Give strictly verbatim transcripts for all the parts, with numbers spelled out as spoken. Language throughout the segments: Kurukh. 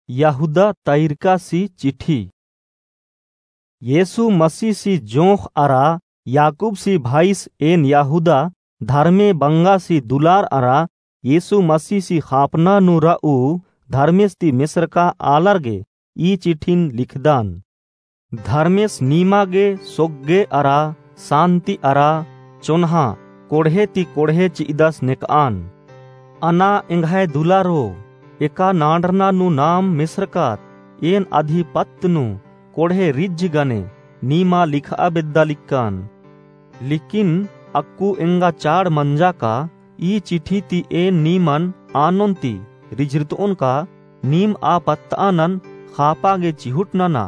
यहूदा तइरकासी चिठी। येसु मसीसी जोंख़ अरा याकूबसी भाईस एन यहूदा, धर्मे बंगासी दुलार अरा येसु मसीसी ख़ापना नू रऊ धर्मेस ती मेसरका आलर गे ई चिठिन लिखदन। धर्मेस नीमा गे सोग्गे अरा सान्ति अरा चोन्हा कोड़हे ती कोड़हे चि'अदस नेक'अन। अना एंग्है दुलारो, एका नांड़रना नू नाम मेसरकत, एन अदी पत्त नू कोड़हे रिझ गने नीमा लिख'आ बेद्दा लिक्कन। लेकिन अक्कु एंगा चाड़ मंजा का ई चिठी ती एन नीमन आनोन ती रिझरत'ओन का नीम आ पत्त'आ नन ख़ापा गे चिहुट नना।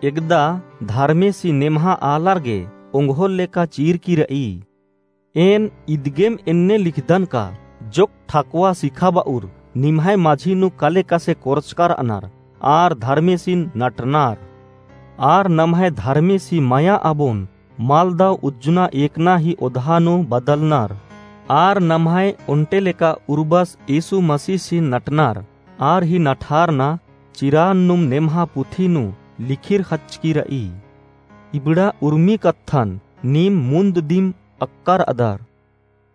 एकदा धर्मेसी नेम्हा आलर गे ओंगोल लेका चीरकी र'ई। एन इदगेम एन्ने लिखदन का जोक ठकुआ सिखाब'उर निम्है मझी नू कले कसे कोरचका र'अनर आर धर्मेसिन नटनर। आर नम्है धर्मेसी मया अबोन मलदव उज्जना एकना ही ओधा नू बदलनर। आर नम्है ओन्टे लेका उर्बस येसु मसीसिन नटनर। आर ही नठारना चिरान नुम नेम्हा पुथी नू लिखिर ख़च्चकी र'ई। इबड़ा उर्मी कत्थन नीम मुन्द दिम अक्कर अदर।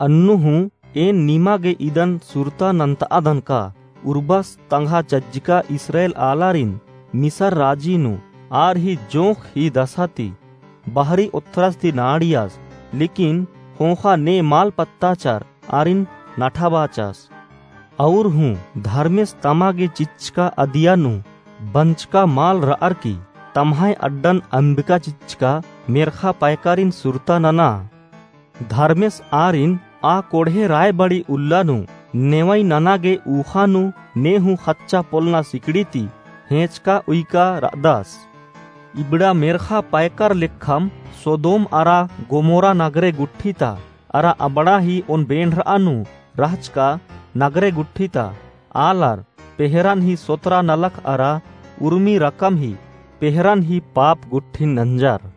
अन्नु हूँ एन नीमा गे इदन सुरता नन्त'अदन का उर्बस तंग्हा चज्जका इस्राएल आलारिन मिसर राजी नू आर ही जोंख़ ही दसा ती बहरी ओथ्रस ती नाड़ियस, लेकिन ख़ोख़ा ने मल पत्ताचर आरिन नठाबाचस। अउर हूँ धर्मेस तमा गे चिच्चका अदिया नू बंचका मल र'अर की तम्है अड्डन अम्बिका चिच्चका मेर्ख़ा पैकारिन सुरता नना। धर्मेस आरिन आ कोड़हे रायबड़ी उल्ला नू नेवई नना गे ऊख़ा नू ने हूँ ख़च्चा पोलना सिकड़ी ती हेंचका उइका र'अदस। इबड़ा मेर्ख़ा पैकर लेखम सोदोम अरा गोमोरा नगरे गुट्ठी ता अरा अबड़ा ही ओन बेंड़र'आ नू रहचका नगरे गुट्ठी ता आलर पेहरन ही सोतरा नलख अरा उर्मी रकम ही पेहरन ही पाप गुट्ठिन नंजर।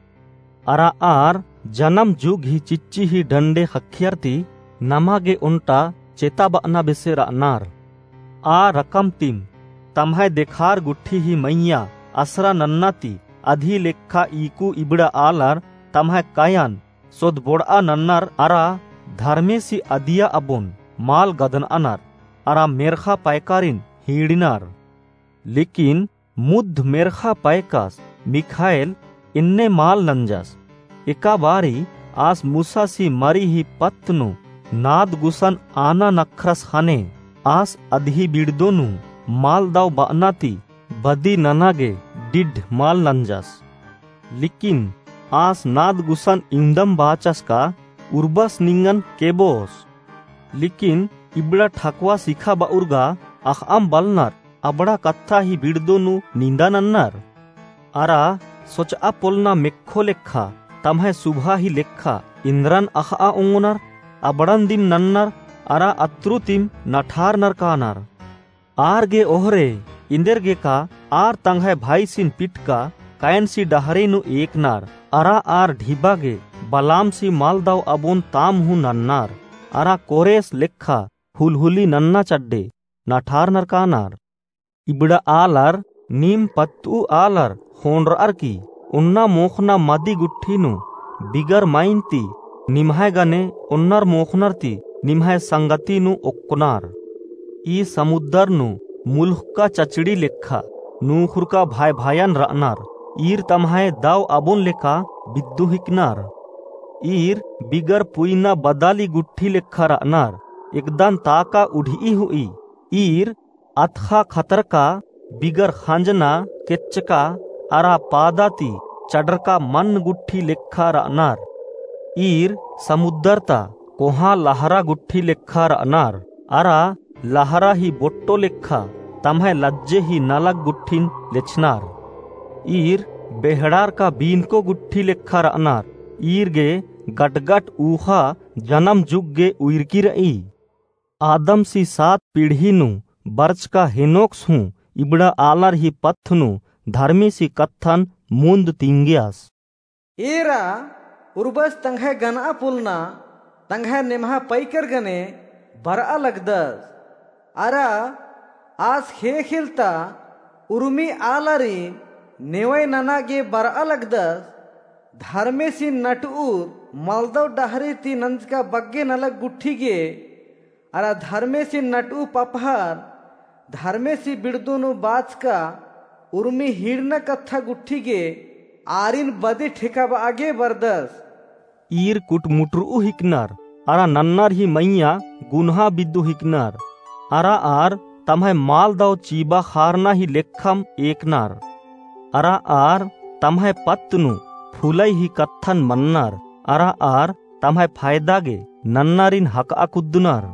अरा आर जनम जुग ही चिच्ची ही डंडे ख़क्खियर ती नमा गे ओन्टा चेताब'अना बेसे र'अनर। आ रकम तिम तम्है देखार गुट्ठी ही मइय्याँ असरा नन्ना ती अदी लेखा ईकु इबड़ा आलर तम्है कयन सोदबोड़'आ नन्नर अरा धर्मेसी अदिया अबोन मल गदन'अनर अरा मेर्ख़ा पैकारिन हीड़िनर। लेकिन मुद्ध मेर्ख़ा पैकस मिख़ाएल एन्ने मल नंजस। एका बारी आस मूसासी मरी ही पत्त नू नाद गुसन आना नखरस ख़ने आस अदी बिड़दो नू मल दव ब'अना ती बदी नना गे डिड्ढ मल नंजस। लेकिन आस नाद गुसन इवंदम बाचस का उर्बस निंगन केबोस। लेकिन इबड़ा ठकुआ सिखाब'उर गा अख़'अम बलनर अबड़ा कत्था ही बिड़दो नू निंदा नन्नर। अरा सोच'आ पोलना मेक्खो लेखा तम्है सुभा ही लेखा इन्द्रन अख़'आ ओंगोनर अबड़न दिम नन्नर अरा अत्रु तिम नठारनर कानर। आर गे ओहरे एन्देरगेका आर तंग्है भाईसिन पिटका कयनसी डहरे नू एकनर अरा आर ढिबा गे बलामसी मल दव अबोन ताम हूँ नन्नर अरा कोरेस लेखा हुलहुली नन्ना चड्डे नठारनर कानर। इबड़ा आलर नीम पत्त'ऊ आलर ख़ोंड़र'अर की ओन्ना मोख़ना मदी गुट्ठी नू बिगर मइन ती निम्है गने ओन्नर मोख़नर ती निम्है संगति नू ओक्कनर। ई समुद्दर नू मुलुख़का चचड़ी लेखा नूख़ुरका भाय-भायन र'अनर। ईर तम्है दव अबोन लेखा बिद्दु हिकनर। ईर बिगर पुइना बदाली गुट्ठी लेखा र'अनर। एकदन ताका उढि'ई हु'ई। ईर अतख़ा खतरका बिगर ख़ंजना केच्चका अरा पादा ती चड़रका मन्न गुट्ठी लेखा र'अनर। ईर समुद्दर ता कोहाँ लहरा गुट्ठी लेखा र'अनर अरा लहरा ही बोट्टो लेखा तम्है लज्जे ही नलख गुट्ठिन लेछनर। ईर बेहड़ारका बीनको गुट्ठी लेखा र'अनर। ईर गे गटगट ऊख़ा जनम जुग गे उइरकी र'ई। आदमसी सात पीढ़ी नू बरचका हेनोकस हूँ इबड़ा आलर ही पत्थ नू धर्मेसी कत्थन मुन्द तिंगियस। एरा उर्बस तंग्है गनआ पोलना तंग्है नेम्हा पैकर गने बरआ लगदस। अरा आस ख़ेख़ेल ता उर्मी आलारिन नेवय नना गे बरआ लगदस, धर्मेसिन नटउर मलदव डहरे ती नंजका बग्गे नलख गुट्ठी गे, अरा धर्मेसिन नटउ पपहर, धर्मेसी बिड़दो नू बाचका उर्मी हिड़ना कत्था गुट्ठी गे, आरिन बदी ठेकाबआ गे बरदस। ईर कुटमुटरऊ हिकनर, अरा नन्नर ही मइय्याँ गुनहा बिद्दू हिकनर, अरा आर तम्है माल दव चीबा खारना ही लेखम एकनर, अरा आर तम्है पत्त नू फुलई ही कत्थन मन्नर, अरा आर तम्है फायदा गे नन्नरिन हकआ कुद्दनर।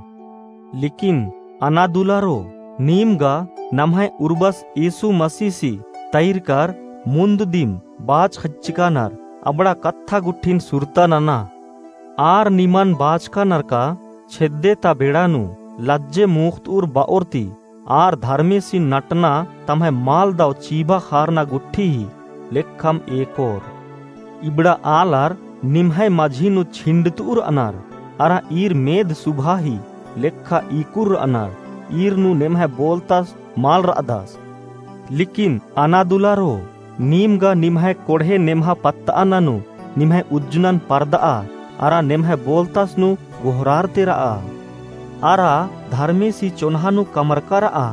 लेकिन अनादुलारो, नीम गा नम्है उर्बस यीशु मसीहसी तैरकर मुन्द दिम बाच खच्चकानर अबड़ा कत्था गुट्ठिन सुरता नना। आर निमन बाचकानर का छेद्दे ता बेड़ा नू लज्जे मुख्तउर बओर ती आर धर्मेसिन नटना तम्है माल दव चीबा खारना गुट्ठी ही लेखम एकोर। इबड़ा आलर निम्है मझी नू छिंडतउर अनर, अरा ईर मेद सुभा ही लेखा ईकुर अनर, ईर नू नेम्है बोलतस मल रअदस। लेकिन अनादुलारो, नीम गा निम्है कोड़हे नेम्हा पत्तअना नू निम्है उज्जनन परदआ, अरा नेम्है बोलतस नू गोहरारते रआ। अरा धर्मेसी चोन्हा नू कमरका रआ,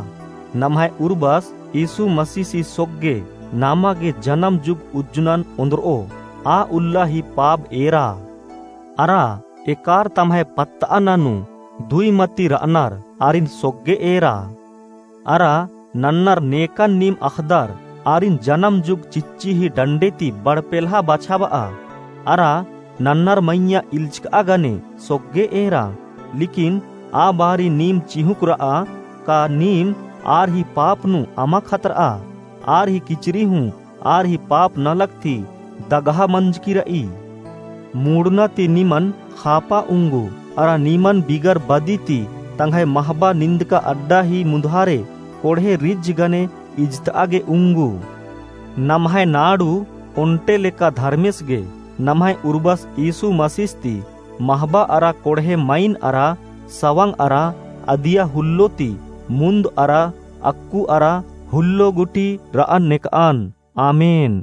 नम्है उर्बस यीशु मसीहसी सोग्गे नामा गे जनम जुग उज्जनन ओन्द्रओ, आ उल्ला ही पाप एरा। अरा एकार तम्है पत्तअना नू दुई मती रअनर आरिन सोग्गे एरा। अरा नन्नर नेकन नीम अख़दर आरिन जनम जुग चिच्ची ही डंडे ती बड़पेल्हा बछाबआ। अरा नन्नर मइय्याँ इल्चकआ गने सोग्गे एरा। लेकिन आ बारी नीम चिहुँक रआ का नीम आर ही पाप नू अमा खतरआ। आर ही किचरी हूँ आर ही पाप नलख ती दगहा मंजकी रई। मुड़ना ती निमन खापा उंगू, अरा निमन बिगर बदी ती तंग्है महबा निंदका अड्डा ही मुन्धारे कोड़हे रिज्ज गने इजतआ गे उंगू। नम्है नाड़ू ओन्टे लेका धर्मेस गे नम्है उर्बस यीशु मसीस ती महबा अरा कोड़हे मइन अरा सवंग अरा अदिया हुल्लो ती मुन्द अरा अक्कु अरा हुल्लो गुटी रअन नेकअन। आमेन।